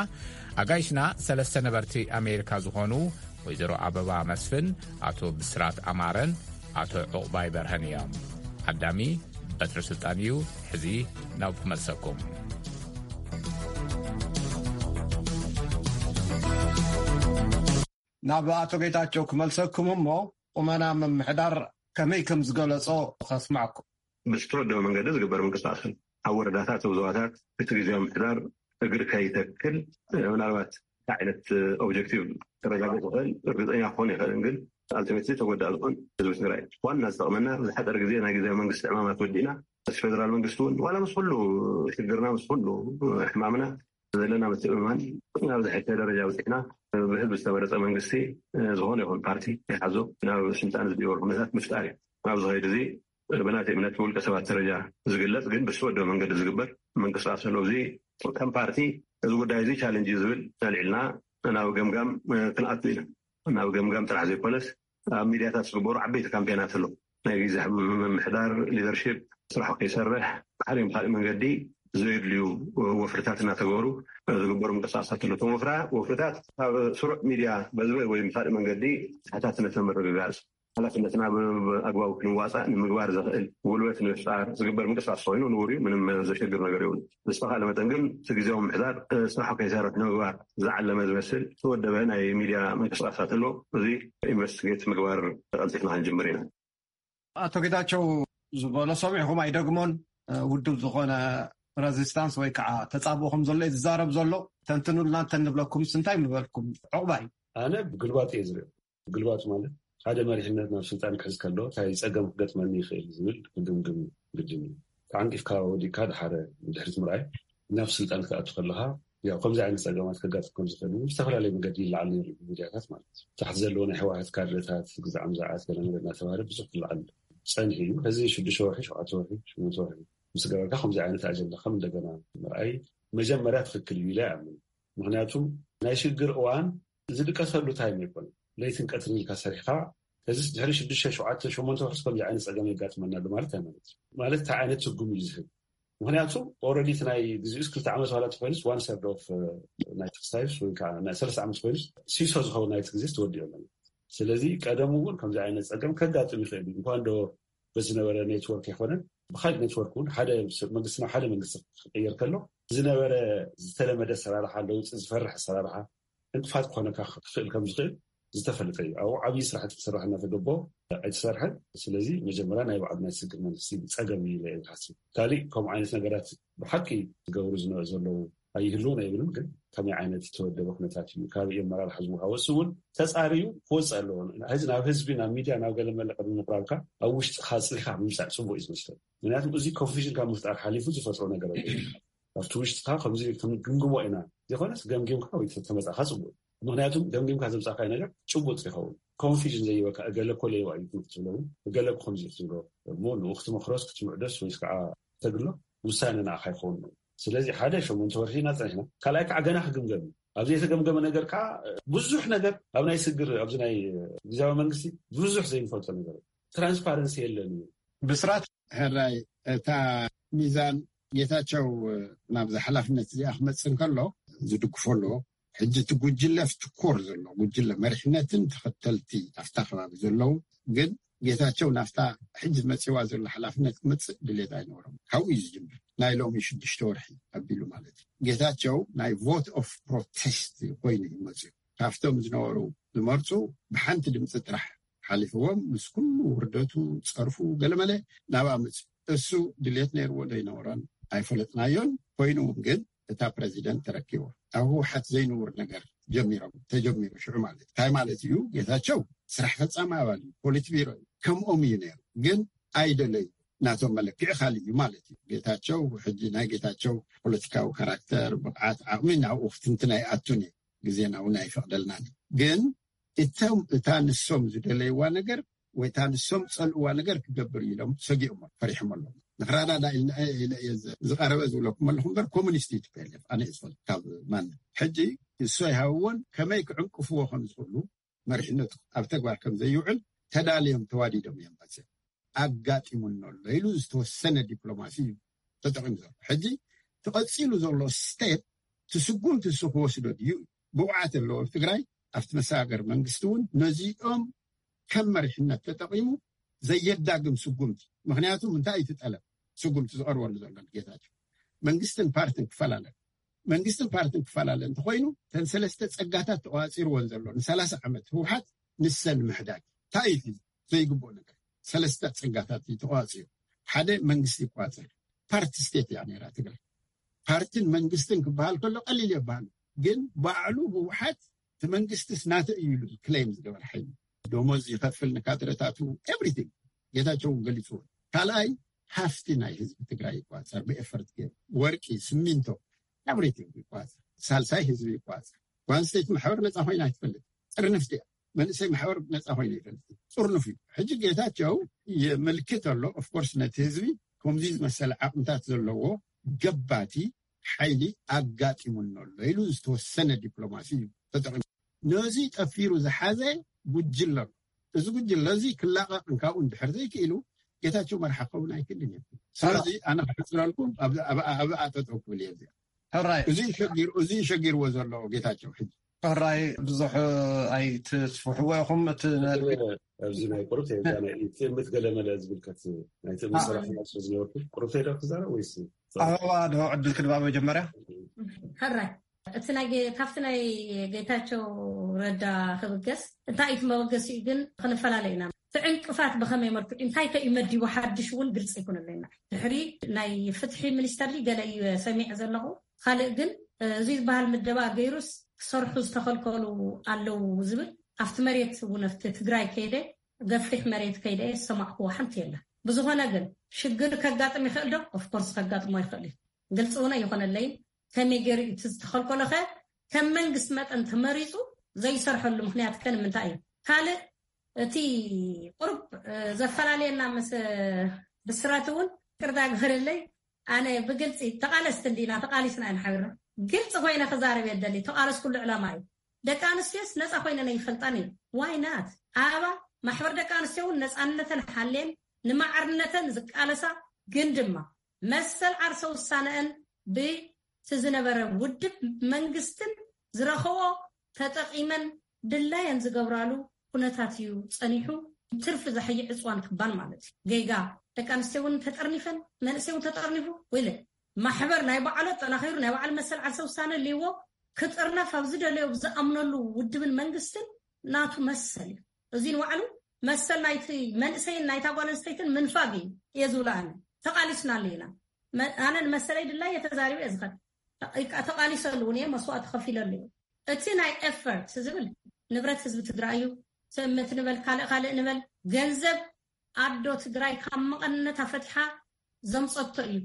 ኣጋይሽና ሰለስተ ነበርቲ ኣሜሪካ ዝኾኑ ወይዘሮ ኣበባ መስፍን፣ ኣቶ ብስራት ኣማረን ኣቶ ዑቕባይ በርሀን እዮም። ዓዳሚ በትሪ ስልጣን እዩ። ሕዚ ናብ ክመልሰኩም። ናብ ኣቶ ጌታቸው ክመልሰኩም እሞ፣ ቁመና ምምሕዳር ከመይ ከም ዝገለጾ ከስማዕኩም። ብዝተወደበ መንገዲ ዝግበር ምንቅስቃስን ኣብ ወረዳታት፣ ኣብ ዞባታት እቲ ግዜያዊ ምምሕዳር እግሪ ከይተክል፣ ምናልባት እንታይ ዓይነት ኦብጀክቲቭ ተረጋግጥ ይኽእል እርግጠኛ ክኾን ይኽእልን፣ ግን ኣልቲሜትሊ ተጎዳእ ዝኾን ህዝቢ ትግራይ ዋና ዝጠቕመና ብዝሓፀረ ግዜ ናይ ግዜያዊ መንግስቲ ዕማማት ወዲእና፣ ምስ ፌደራል መንግስቲ እውን ዋላ ምስ ኩሉ ሽግርና፣ ምስ ኩሉ ሕማምና ዘለና ምትእምማን ናብ ዝሐሸ ደረጃ በፂሕና፣ ብህዝቢ ዝተመረፀ መንግስቲ ዝኾነ ይኹን ፓርቲ ይሓዞ ናብ ስልጣን ዝድይበሉ ኩነታት ምፍጣር እዩ። ኣብዚ ኸይዲ እዚ ብናተይ እምነት ብውልቀ ሰባት ደረጃ ዝግለፅ ግን ብዝተወደበ መንገዲ ዝግበር ምንቅስቃስ ኣሎ። እዚ ከም ፓርቲ እዚ ጉዳይ እዚ ቻለንጅ እዩ ዝብል ኣልዒልና ናብ ገምጋም ክንኣቱ ኢና። ናብ ገምጋም ጥራሕ ዘይኮነስ ኣብ ሚድያታት ዝግበሩ ዓበይቲ ካምፔናት ኣለዉ። ናይ ግዜ ምምሕዳር ሊደርሺፕ ስራሕ ከይሰርሕ ብሓደ ብካሊእ መንገዲ ዘየድልዩ ወፍርታት እናተገበሩ ዝግበሩ ምንቅስቃሳት ኣለዉ። እቶም ወፍራ ወፍርታት ካብ ስሩዕ ሚድያ በዚ ወይ ብካሊእ መንገዲ ተሓታትነት ንምርግጋፅ ሓላፍነትና ብኣግባቡ ክንዋፃእ ንምግባር ዘኽእል ጉልበት ንምፍጣር ዝግበር ምንቅስቃስ ኮይኑ ንቡር እዩ። ምንም ዘሸግር ነገር የብሉ። ብዝተኻለ መጠን ግን እቲ ግዜያዊ ምምሕዳር ስራሕ ከይሰርሕ ንምግባር ዝዓለመ ዝመስል ዝተወደበ ናይ ሚድያ ምንቅስቃሳት ኣሎ። እዚ ኢንቨስቲጌት ምግባር ቀልጢፍና ክንጅምር ኢና። ኣቶ ጌታቸው ዝበሎ ሰሚዕኹም ኣይደግሞን። ውድብ ዝኾነ ሬዚስታንስ ወይ ከዓ ተጻብኦ ከም ዘሎ እዩ ዝዛረብ ዘሎ። ተንትኑልና እንተ ንብለኩምስ እንታይ ምበልኩም? ዕቑባይ። ኣነ ግልባጥ እየ ዝሪኦ። ግልባጥ ማለት ሓደ መሪሕነት ናብ ስልጣን ክሕዝ ከሎ እንታይ ፀገም ክገጥመኒ ይኽእል ዝብል ክግምግም ግድን እዩ። ተዓንቂፍካ ወዲቅካ ድሓረ ንድሕሪት ምርኣይ ናብ ስልጣን ክትኣቱ ከለኻ ያው ከምዚ ዓይነት ፀገማት ከጋጥም ከም ዝኽእል እውን ብዝተፈላለየ መገዲ ይለዓል ነይሩ እዩ ብሚድያታት ማለት እዩ። ታሕቲ ዘለዎ ናይ ህወሓት ካድረታት ግዛዕ ምዛዓት ገለመለ እናተባሃለ ብዙሕ ክለዓል ፀኒሑ እዩ። ሕዚ ሽዱሽተ ወርሒ ሸውዓተ ወርሒ ሸሞንተ ወርሒ ምስ ገበርካ ከምዚ ዓይነት ኣጀንዳ ከም እንደገና ምርኣይ መጀመርያ ትኽክል እዩ ኢለ ይኣምን። ምክንያቱ ናይ ሽግር እዋን ዝድቀሰሉ ታይም ኣይኮነን። ለይትን ቀትርን ኢልካ ሰሪሕካ ሕዚ ድሕሪ ሽዱሽተ ሸውዓተ ሸሞንተ ወርሒ ከምዚ ዓይነት ፀገም የጋጥመና ኣሎ ማለት ኣይማለት እዩ። ማለት እንታይ ዓይነት ትርጉም እዩ ዝህብ? ምክንያቱ ኦረዲ እቲ ናይ ግዜኡስ ክልተ ዓመት ዋላ ተኮይኑስ ዋን ሰርድ ኦፍ ናይ ተክስታይስ ወይ ከዓ ናይ ሰለስተ ዓመት ኮይኑስ ሲሶ ዝኸውን ናይቲ ግዜስ ተወዲኦ ኣሎ። ስለዚ ቀደሙ እውን ከምዚ ዓይነት ፀገም ከጋጥም ይኽእል እዩ። እንኳን ዶ በዝነበረ ኔትወርክ ኣይኮነን ብካሊእ ኔትወርክ እውን ሓደ መንግስቲ ናብ ሓደ መንግስቲ ክቅየር ከሎ ዝነበረ ዝተለመደ ኣሰራርሓ ለውፂ ዝፈርሕ ኣሰራርሓ ዕንቅፋት ክኾነካ ክኽእል ከም ዝኽእል ዝተፈለጠ እዩ። ኣብኡ ዓብዪ ስራሕቲ ክስራሕ እናተገበኦ ኣይተሰርሐን። ስለዚ መጀመርያ ናይ ባዕሉ ናይ ስግር መንግስቲ ፀገም እዩ ኢለ እየ ዝሓስብ። ካሊእ ከምኡ ዓይነት ነገራት ብሓቂ ዝገብሩ ዝነ- ዘለዉ ኣይህልውን ኣይብልን፣ ግን ከመይ ዓይነት ዝተወደበ ኩነታት እዩ ካብ ኣመራርሓ ዝወሃወ እሱ እውን ተፃርዩ ክወፅእ ኣለዎ። ሕዚ ናብ ህዝቢ ናብ ሚድያ ናብ ገለ መለ ቅድሚ ምቅራብካ ኣብ ውሽጥካ ኣፅሊካ ምምፃእ ፅቡቅ እዩ ዝመስለኒ። ምክንያቱ እዚ ኮንፊዥን ካብ ምፍጣር ሓሊፉ ዝፈጥሮ ነገር ኣሎ። ኣብቲ ውሽጥካ ከምዚ ክንግምግሞ ኢና ዘይኮነስ ገምጊምካ ወይ ተመፃእካ ፅቡቅ እዩ። ምክንያቱም ገምጊምካ ዘምፃእካዮ ነገር ጭቡጥ ይኸውን። ኮንፊዥን ዘይበካ እገለ እኮ ለይዋ እዩ ክትብሎ እውን እገለ እኮ ከምዚ እዩ ክትብሎ እሞ ንኡ ክትመክሮስ ክትምዕዶስ ወይስ ከዓ ተግሎ ውሳነ ንዓኻ ይኸውን ነው። ስለዚ ሓደ ሸሞንተ ወርሒ ኢና ፀኒሕና። ካልኣይ ከዓ ገና ክግምገም እዩ። ኣብ ዘይተገምገመ ነገር ከዓ ብዙሕ ነገር ኣብ ናይ ስግር ኣብዚ ናይ ግዛዊ መንግስቲ ብዙሕ ዘይንፈልጦ ነገር ትራንስፓረንሲ የለን እዩ። ብስራት ሕራይ እታ ሚዛን ጌታቸው ናብዚ ሓላፍነት እዚኣ ክመፅእ እንከሎ ዝድግፎ ኣለዎ። ሕጂ እቲ ጉጅለ ፍትኮር ዘሎ ጉጅለ መሪሕነትን ተኸተልቲ ኣብታ ከባቢ ዘለዉ ግን ጌታቸው ናብታ ሕጂ መፂዋ ዘሎ ሓላፍነት ክመፅእ ድሌት ኣይነበሮም። ካብኡ እዩ ዝጅምር። ናይ ሎሚ ሽዱሽተ ወርሒ ኣቢሉ ማለት እዩ። ጌታቸው ናይ ቮት ኦፍ ፕሮቴስት ኮይኑ እዩ መፅኡ። ካብቶም ዝነበሩ ዝመርፁ ብሓንቲ ድምፂ ጥራሕ ሓሊፍዎም ምስ ኩሉ ውርደቱ ፀርፉ ገለመለ ናብኣ መፅኡ። እሱ ድሌት ነይርዎ ዶ ይነበሮን ኣይፈለጥናዮን። ኮይኑ እውን ግን እታ ፕረዚደንት ተረኪቦ ኣብ ህወሓት ዘይንውር ነገር ጀሚሮም ተጀሚሩ ሽዑ ማለት እንታይ ማለት እዩ? ጌታቸው ስራሕ ፈፃሚ ኣባል እዩ፣ ፖሊት ቢሮ እዩ፣ ከምኦም እዩ ነይሩ። ግን ኣይደለዩ ናቶም መለክዒ ካልእ እዩ ማለት እዩ። ጌታቸው ሕጂ ናይ ጌታቸው ፖለቲካዊ ካራክተር፣ ብቕዓት፣ ዓቕሚ ናብኡ ክትንትን ኣይኣቱን እዩ፣ ግዜና እውን ኣይፈቕደልናን እዩ። ግን እቶም እታ ንሶም ዝደለይዋ ነገር ወይ እታ ንሶም ዝፀልእዋ ነገር ክገብር እዩ ኢሎም ሰጊኦም ፈሪሖም ኣለዉ። ንክረዳዳ ኢልና ኢለ እየ ዝ- ዝቐረበ ዝብለኩም ኣለኹ እምበር ኮሙኒስት እዩ ቲ ፒ ኤል ኤፍ ኣነ እየ ዝፈልጥ ካብ ማን ሕጂ እሶ ይሃብዎን ከመይ ክዕንቅፍዎ ከም ዝኽእሉ መሪሕነቱ ኣብ ተግባር ከም ዘይውዕል ተዳልዮም ተዋዲዶም እዮም መፅኦም ኣጋጢሙና ኣሎ ኢሉ ዝተወሰነ ዲፕሎማሲ እዩ ተጠቂሙ ዘሎ ሕጂ ትቐፂሉ ዘሎ ስቴፕ ትስጉምቲ እሱ ክወስዶ ድዩ ብውዓት ኣለዎ ትግራይ ኣብቲ መሰጋገር መንግስቲ እውን ነዚኦም ከም መሪሕነት ተጠቂሙ ዘየዳግም ስጉምቲ ምክንያቱ እንታይ እዩ ትጠለብ ስጉምቲ ዝቐርበሉ ዘሎ ጌታቸው መንግስትን ፓርትን ክፈላለ መንግስትን ፓርትን ክፈላለ እንተኮይኑ ተን ሰለስተ ፀጋታት ተቋፂርዎን ዘሎ ንሰላሳ ዓመት ህወሓት ንሰን ምሕዳግ እንታይ እዩ ዘይግብኦ ነገር ሰለስተ ፀጋታት እዩ ተቋፂሩ ሓደ መንግስቲ ይቋፀር ፓርቲ ስቴት እያ ነራ ትግራይ ፓርትን መንግስትን ክበሃል ከሎ ቀሊል የበሃል ግን ባዕሉ ህወሓት እቲ መንግስትስ ናተ እዩ ኢሉ ክሌም ዝገበር ሓይሊ ደሞዝ ይኸፍል ንካድረታቱ ኤቭሪቲንግ ጌታቸው ገሊፅዎ ካልኣይ ሃፍቲ ናይ ህዝቢ ትግራይ ይቋፀር ብኤፈርት ገይሩ ወርቂ ስሚንቶ ኤቭሪቲንግ ይቋፀር ሳልሳይ ህዝቢ ይቋፀር ጓንስተይቲ ማሕበር ነፃ ኮይና ኣይትፈልጥ ጥርንፍቲ እያ መንእሰይ ማሕበር ነፃ ኮይኑ ይፈልጥ ጥርንፍ እዩ ሕጂ ጌታቸው የመልክት ኣሎ ኦፍኮርስ ነቲ ህዝቢ ከምዚ ዝመሰለ ዓቕምታት ዘለዎ ገባቲ ሓይሊ ኣጋጢሙና ኣሎ ኢሉ ዝተወሰነ ዲፕሎማሲ እዩ ተጠቂሙ ነዚ ጠፊሩ ዝሓዘ ጉጅለ ኣሎ እዚ ጉጅለ እዚ ክላቐቕ እንካብኡ እንድሕር ዘይክኢሉ ጌታቸው መርሓ ክኸውን ኣይክእልን እዩ ስለዚ ኣነ ክሕፅረልኩም ኣብኣ ጠጠው ክብል እየ እዚኣ ሕራይ እዚ ሸጊር እዚ ሸጊርዎ ዘሎ ጌታቸው ሕጂ ሕራይ ብዙሕ ኣይትስፍሕዎ ኢኹም እቲ ኣብዚ ናይ ቁርብ ትእምት ገለመለ ዝምልከት ናይ ትእምት ሰራሕተኛ ስለ ዝነበርኩ ቁርብ ተይዳ ክዛረብ ወይስ ኣበባ ዶ ዕድል ክድባ መጀመርያ ሕራይ እቲ ናይ ጌ- ካብቲ ናይ ጌታቸው ረዳ ክብገስ እንታይ እቲ መበገሲኡ ግን ክንፈላለ ኢና እቲ ዕንቅፋት ብኸመይ መልክዑ እንታይ ከ እዩ መዲቡ ሓድሽ እውን ግልፂ ይኩንለና ድሕሪ ናይ ፍትሒ ሚኒስተር ገለ እዩ ሰሚዐ ዘለኹ ካልእ ግን እዚ ዝበሃል ምደባ ገይሩስ ክሰርሑ ዝተኸልከሉ ኣለዉ ዝብል ኣብቲ መሬት እውን ኣብቲ ትግራይ ከይደ ገፊሕ መሬት ከይደ ዝሰማዕክዎ ሓንቲ የለን ብዝኾነ ግን ሽግር ከጋጥም ይኽእል ዶ ኦፍኮርስ ከጋጥሞ ይኽእል እዩ ግልፂ እውን ኣይኾነለይን ከመይ ገይሩ እቲ ዝተኸልከሎ ኸ ከም መንግስቲ መጠን ተመሪፁ ዘይሰርሐሉ ምክንያት ከ ንምንታይ እዩ ካልእ እቲ ቁርብ ዘፈላለየና ምስ ብስራት እውን ቅርታ ግበረለይ ኣነ ብግልፂ ተቃለስቲ እንዲና ተቃሊስና ኢና ሓቢርና ግልፂ ኮይነ ክዛረብ የደሊ ተቃለስ ኩሉ ዕላማ እዩ ደቂ ኣንስትዮስ ነፃ ኮይነን ይፈልጣን እዩ ዋይ ናት ኣበባ ማሕበር ደቂ ኣንስትዮ እውን ነፃነተን ሓልየን ንማዕርነተን ዝቃለሳ ግን ድማ መሰል ዓርሰ ውሳነአን ብቲ ዝነበረ ውድብ መንግስትን ዝረኸቦ ተጠቂመን ድላየን ዝገብራሉ ኩነታት እዩ ፀኒሑ ትርፊ ዘሕይዕ ዕፅዋን ክባል ማለት እዩ ጌጋ ደቂ ኣንስትዮ እውን ተጠርኒፈን መንእሰይ እውን ተጠርኒፉ ወይለ ማሕበር ናይ በዓሉ ኣጠናኺሩ ናይ በዓል መሰል ዓርሰ ውሳነ ልዎ ክጥርነፍ ኣብ ዝደለዮ ብዝኣምነሉ ውድብን መንግስትን ናቱ መሰል እዩ እዚ ንባዕሉ መሰል ናይቲ መንእሰይን ናይታ ጓል ኣንስተይትን ምንፋግ እዩ እየ ዝብሎ ኣነ ተቃሊስናሉ ኢና ኣነ ንመሰለይ ድላይ እየ ተዛሪበ እየ ዝኸድ ተቃሊሰሉ እውን እየ መስዋእቲ ከፊለሉ እዩ እቲ ናይ ኤፈርት ዝብል ንብረት ህዝቢ ትግራይ እዩ ትእምት ንበል ካልእ ካልእ ንበል ገንዘብ ኣዶ ትግራይ ካብ መቐነታ ፈቲሓ ዘምፀቶ እዩ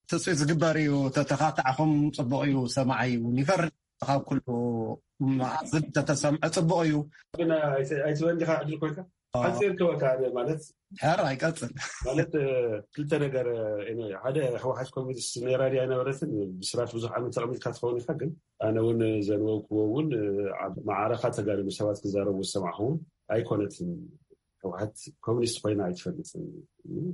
ትፅቢት ዝግበር እዩ። ተተኻታዕኹም ፅቡቕ እዩ። ሰማዓይ እውን ይፈርድ ካብ ኩሉ መኣዝን ተተሰምዐ ፅቡቕ እዩ። ግን ኣይትበል ዲኻ ዕድል ኮይካ ሓፂር ክበካ ኣነ ማለት ሕር ኣይቀፅል ማለት ክልተ ነገር ሓደ ህወሓት ኮሚኒስት ናይ ራድያ ነበረትን ብስራት ብዙሕ ዓመት ተቐሚጥካ ትኸውን ኢኻ ግን ኣነ እውን ዘንበብክዎ እውን ኣብ መዓረኻ ተጋደሉ ሰባት ክዛረቡ ዝሰማዕኹ እውን ኣይኮነትን ህወሓት ኮሚኒስት ኮይና ኣይትፈልጥን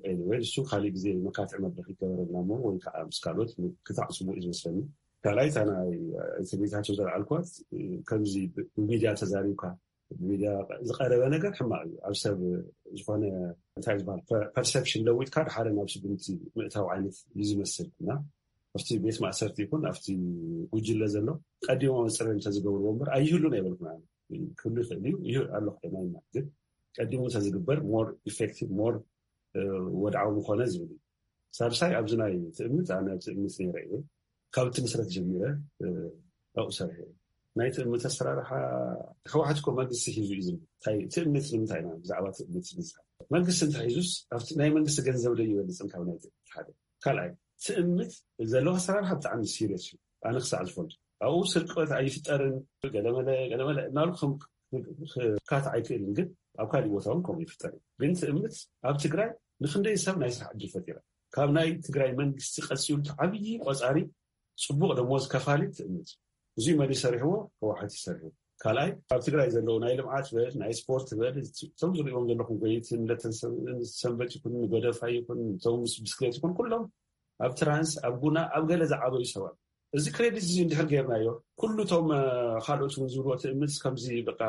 anyway እሱ ካሊእ ግዜ መካትዒ መድረክ ይገበረልና እሞ ወይ ከዓ ምስ ካልኦት ክታዕ ፅቡቅ እዩ ዝመስለኒ ካልኣይ እታ ናይ ትርኢታቸው ዘልዓልኳት ከምዚ ብሚድያ ተዛሪብካ ብሚድያ ዝቀረበ ነገር ሕማቅ እዩ ኣብ ሰብ ዝኮነ እንታይ ዝበሃል perception ለዊጥካ ድሓደ ናብ ስጉምቲ ምእታው ዓይነት እዩ ዝመስል እና ኣብቲ ቤት ማእሰርቲ ይኩን ኣብቲ ጉጅለ ዘሎ ቀዲሞም ፅረ እንተዝገብርዎ እምበር ኣይህሉን ኣይበልኩን ክህሉ ይኽእል እዩ ይህ ኣሎ ኮይና ኢና ግን ቀዲሙ እንተዝግበር more effective more ወድዓዊ ምኾነ ዝብል እዩ ሳልሳይ ኣብዚ ናይ ትእምት ኣነ ኣብ ትእምት ነይረ እየ ካብ እቲ ምስረት ጀሚረ ኣብኡ ሰርሐ ናይ ትእምት ኣሰራርሓ ህወሓት እኮ መንግስቲ ሒዙ እዩ ዝብል እንታይ ትእምት ንምንታይ ኢና ብዛዕባ ትእምት ንዛረብ መንግስቲ እንተሒዙስ ኣብቲ ናይ መንግስቲ ገንዘብ ዶ ይበልፅን ካብ ናይ ትእምት ሓደ ካልኣይ ትእምት ዘለዎ ኣሰራርሓ ብጣዕሚ serious እዩ ኣነ ክሳዕ ዝፈልጦ ኣብኡ ስርቆት ኣይፍጠርን ገለመለ ገለመለ እናሉ ክካትዕ ኣይክእልን ግን ኣብ ካሊእ ቦታ እውን ከምኡ ይፍጠር እዩ ግን ትእምት ኣብ ትግራይ ንክንደይ ሰብ ናይ ስራሕ ዕድል ፈጢራ ካብ ናይ ትግራይ መንግስቲ ቀፂሉ እቲ ዓብዪ ቆፃሪ ፅቡቕ ደሞዝ ከፋሊ ትእምት። እዙይ መን ይሰርሕዎ? ህወሓት ይሰርሑ። ካልኣይ፣ ኣብ ትግራይ ዘለዉ ናይ ልምዓት በል፣ ናይ ስፖርት በል፣ እቶም ዝሪእዎም ዘለኹም ጎየይትን ለተን ሰንበት ይኹን፣ ጎደፋ ይኹን፣ እቶም ምስ ብስክሌት ይኹን፣ ኩሎም ኣብ ትራንስ፣ ኣብ ጉና፣ ኣብ ገለ ዝዓበዩ ሰባት። እዚ ክሬዲት እዚ እንድሕር ጌርናዮ፣ ኩሉ እቶም ካልኦት እውን ዝብልዎ ትእምት ከምዚ በቃ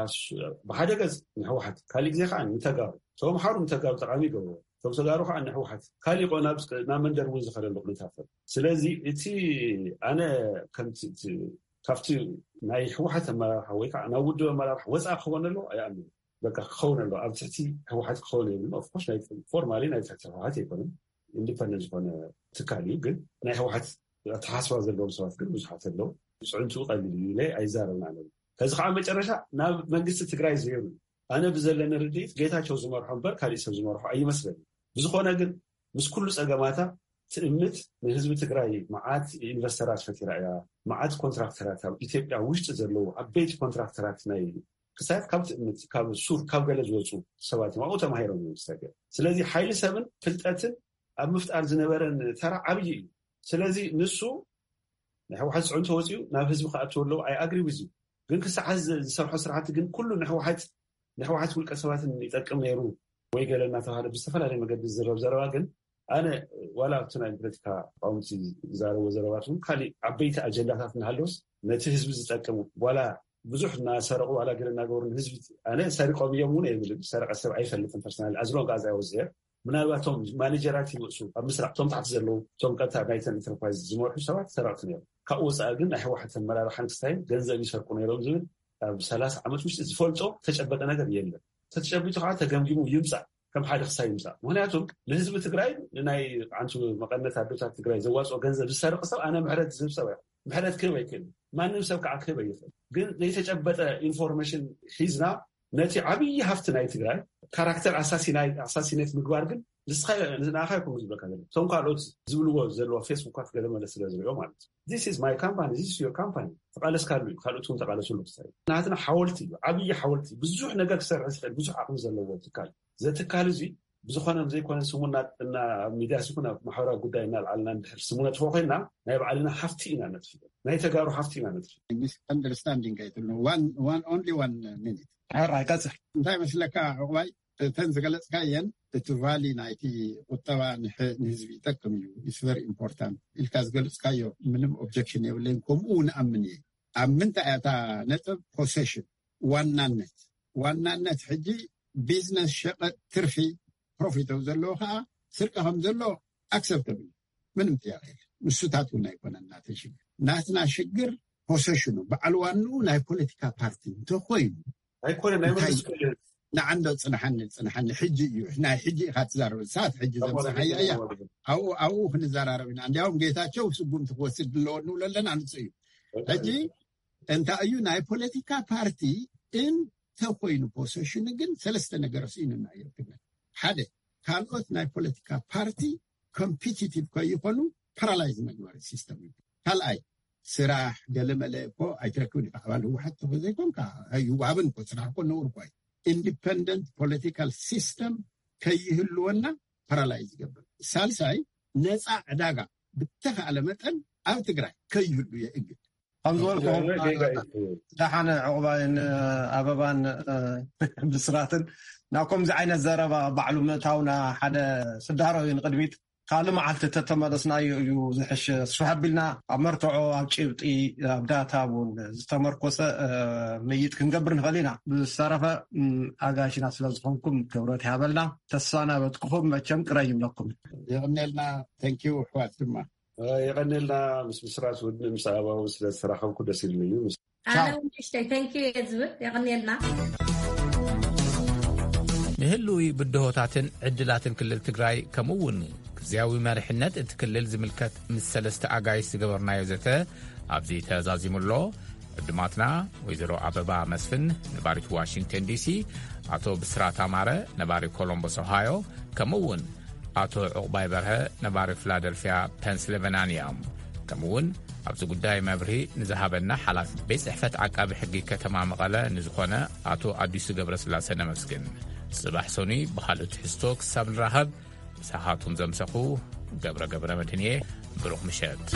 ብሓደ ገፅ ንህወሓት፣ ካሊእ ግዜ ከዓ ንተጋሩ፣ ተምሓሩ ንተጋሩ ጠቃሚ ይገብርዎ። እቶም ተጋሩ ከዓ ንሕወሓት ካሊእ ናብ መንደር እውን ዝኸደሉ ኩነታት። ስለዚ እቲ ኣነ ከምቲ ካብቲ ናይ ህወሓት ኣመራርሓ ወይ ከዓ ናብ ውድብ ኣመራርሓ ወፃእ ክኸውን ኣለዎ ኣይኣምን። በቃ ክኸውን ኣለዎ፣ ኣብ ትሕቲ ህወሓት ክኸውን የብሉን። ኦፍኮርስ ፎርማሊ ናይ ትሕቲ ህወሓት ኣይኮነን፣ ኢንዲፐንደንት ዝኾነ ትካል እዩ። ግን ናይ ህወሓት ኣተሓስባ ዘለዎም ሰባት ግን ብዙሓት ኣለዉ። ፅዕንቱ ቀሊል እዩ ኢለ ኣይዛረብን ኣነ። ከዚ ከዓ መጨረሻ ናብ መንግስቲ ትግራይ ዘይሩ። ኣነ ብዘለኒ ርድኢት ጌታቸው ዝመርሖ እምበር ካሊእ ሰብ ዝመርሖ ኣይመስለኒ። ብዝኾነ ግን ምስ ኩሉ ፀገማታ ትእምት ንህዝቢ ትግራይ መዓት ኢንቨስተራት ፈጢራ እያ። መዓት ኮንትራክተራት ኣብ ኢትዮጵያ ውሽጢ ዘለዉ ዓበይቲ ኮንትራክተራት ናይ ክሳያት ካብ ትእምት ካብ ሱር ካብ ገለ ዝወፁ ሰባት እዮም ኣብኡ ተማሂሮም እዮም ዝሰገር። ስለዚ ሓይሊ ሰብን ፍልጠትን ኣብ ምፍጣር ዝነበረን ተራ ዓብዪ እዩ። ስለዚ ንሱ ናይ ህወሓት ፅዕንቶ ወፂኡ ናብ ህዝቢ ክኣትው ኣለዎ። ኣይ ኣግሪ ዊዝ ዩ። ግን ክሳዕ ዝሰርሖ ስራሕቲ ግን ኩሉ ንህወሓት ንህወሓት ውልቀ ሰባትን ይጠቅም ነይሩ ወይ ገለ እናተባሃለ ብዝተፈላለየ መገዲ ዝዝረብ ዘረባ ግን ኣነ ዋላ ኣብቲ ናይ ፖለቲካ ተቃወምቲ ዝዛረብዎ ዘረባት እውን ካሊእ ዓበይቲ ኣጀንዳታት እናሃለውስ ነቲ ህዝቢ ዝጠቅም ዋላ ብዙሕ እናሰረቁ ዋላ ገለ እናገበሩ ንህዝቢ ኣነ ሰሪቆም እዮም እውን ኣይብልን። ሰረቀ ሰብ ኣይፈልጥን ፐርሰናል ኣዝሎን ጋዛ ወዝሄር ምናልባት እቶም ማኔጀራት ይወፁ ኣብ ምስራቅ እቶም ታሕቲ ዘለዉ እቶም ቀጥታ ናይተን ኢንተርፕራይዝ ዝመርሑ ሰባት ሰረቅቲ ነይሩ። ካብኡ ወፃኢ ግን ናይ ህወሓት ኣመራርሓን ክስታይን ገንዘብ ይሰርቁ ነይሮም ዝብል ኣብ ሰላሳ ዓመት ውሽጢ ዝፈልጦ ተጨበጠ ነገር የለን። ተጨቢጡ ከዓ ተገምጊሙ ይምፃእ ከም ሓደ ክሳይ ይምፃእ። ምክንያቱም ንህዝቢ ትግራይ ንናይ ዓንቱ መቀነት ኣዶታት ትግራይ ዘዋፅኦ ገንዘብ ዝሰርቅ ሰብ ኣነ ምሕረት ዝህብ ሰብ ኣይኮን። ምሕረት ክህብ ኣይክእል። ማንም ሰብ ከዓ ክህብ ኣይኽእል። ግን ዘይተጨበጠ ኢንፎርሜሽን ሒዝና ነቲ ዓብዪ ሃፍቲ ናይ ትግራይ ካራክተር ኣሳሲናይ ኣሳሲኔት ምግባር ግን ንስኻ ንኣኻ ይኮኑ ዝብለካ ዘሎ እቶም ካልኦት ዝብልዎ ዘለዎ ፌስቡካት ገለ መለ ስለ ዝሪኦ ማለት እዩ። This is my company, this is your company ተቃለስካሉ እዩ። ካልኦት እውን ተቃለስሉ ክሳይ ናትና ሓወልቲ እዩ። ዓብዪ ሓወልቲ ብዙሕ ነገር ክሰርሕ ዝኽእል ብዙሕ ዓቕሚ ዘለዎ ትካል ዘትካል እዚ ብዝኾነ ዘይኮነ ስሙና እና ሚዲያ ሲኩን ኣብ ማሕበራዊ ጉዳይ እናልዓልና እንድሕር ስሙ ነጥፎ ኮይና ናይ ባዕልና ሃፍቲ ኢና ነጥፍ ናይ ተጋሩ ሃፍቲ ኢና ነጥፍ ሚስኣንደርስታንዲንግ ኣይትብሎ one only one minute ሕራይ ቀፅል እንታይ መስለካ ዕቁባይ እተን ዝገለፅካየን እቲ ቫሊ ናይቲ ቁጠባ ንህዝቢ ይጠቅም እዩ it's very important ኢልካ ዝገለፅካዮ ምንም ኦብጀክሽን የብለይን ከምኡ ንኣምን እየ ኣብ ምንታይ እታ ነጥብ ፖሴሽን ዋናነት ዋናነት ሕጂ ቢዝነስ ሸቐጥ ትርፊ ፕሮፊት ዘለዎ ከዓ ስርቂ ከም ዘሎ ኣክሰፕተብል ምንም ጥያቄ የለ ንሱታት እውን ኣይኮነን ናተ ሽግር ናትና ሽግር ፖሰሽኑ በዓል ዋንኡ ናይ ፖለቲካ ፓርቲ እንተኮይኑ ኣይኮነ ናይ መንግስቲ ንዓንዶ ፅንሓኒ ፅንሓኒ ሕጂ እዩ ናይ ሕጂ ኢካ ትዛረብ ሰዓት ሕጂ ዘምፅሓያ እያ ኣብኡ ኣብኡ ክንዘራረብ ኢና እንዲያውም ጌታቸው ስጉምቲ ክወስድ ኣለዎ ንብሎ ኣለና ንፁ እዩ ሕጂ እንታይ እዩ ናይ ፖለቲካ ፓርቲ እንተኮይኑ ፖሰሽኑ ግን ሰለስተ ነገር ስኢኑና እዮም ትግራይ ሓደ ካልኦት ናይ ፖለቲካ ፓርቲ ኮምፒቲቲቭ ከይኮኑ ፓራላይዝ መግበሪ ሲስተም እዩ ካልኣይ ስራሕ ገለመለ እኮ ኣይትረክብን ኢካ ኣባል ህወሓት ተኮ ዘይኮንካ ኣይዋብን እኮ ስራሕ እኮ ነውር እኮ ኢንዲፐንደንት ፖለቲካል ሲስተም ከይህልወና ፓራላይዝ ይገብር ሳልሳይ ነፃ ዕዳጋ ብተካእለ መጠን ኣብ ትግራይ ከይህሉ የእግድ ከም ዝበልኩ ደሓነ ዕቑባይን ኣበባን ብስራትን ናብ ከምዚ ዓይነት ዘረባ ባዕሉ ምእታውና ሓደ ስዳሮ እዩ ንቅድሚት ካልእ መዓልቲ ተተመለስናዮ እዩ ዝሕሽ ስፍሕ ኣቢልና ኣብ መርትዖ ኣብ ጭብጢ ኣብ ዳታ እውን ዝተመርኮሰ ምይጥ ክንገብር ንኽእል ኢና ብዝተረፈ ኣጋሽና ስለ ዝኾንኩም ክብረት ይሃበልና ተሰናበትኩኹም መቸም ቅረ ይብለኩም የቕኔልና ተንኪዩ ኣሕዋት ድማ የቐኔልና ምስ ብስራት ውድን ምስ ኣበባውን ስለ ዝተራኸብኩ ደስ ኢሉኒ እዩ። ኣነ እውን ንእሽተይ thank you እየ ዝብል። የቐኔልና። ንህልዊ ብድሆታትን ዕድላትን ክልል ትግራይ ከምኡ እውን ግዝያዊ መሪሕነት እቲ ክልል ዝምልከት ምስ ሰለስተ ኣጋይሽ ዝገበርናዮ ዘተ ኣብዚ ተዛዚሙ ኣሎ። ዕዱማትና ወይዘሮ ኣበባ መስፍን ነባሪት ዋሽንግተን ዲሲ፣ ኣቶ ብስራት ኣማረ ነባሪ ኮሎምቦስ ኦሃዮ፣ ከምኡ እውን ኣቶ ዕቑባይ በርሀ ነባሪ ፊላደልፊያ ፐንስልቨናንያ እዮም። ከምኡ እውን ኣብዚ ጉዳይ መብርሂ ንዝሃበና ሓላፊ ቤት ፅሕፈት ዓቃቢ ሕጊ ከተማ መቐለ ንዝኾነ ኣቶ ኣዲሱ ገብረስላሰ ነመስግን። ፅባሕ ሰኑይ ብኻልእ ትሕዝቶ ክሳብ ንራኸብ ምሳኻቱም ዘምሰኹ ገብረ ገብረ መድህን እየ። ብሩኽ ምሸት።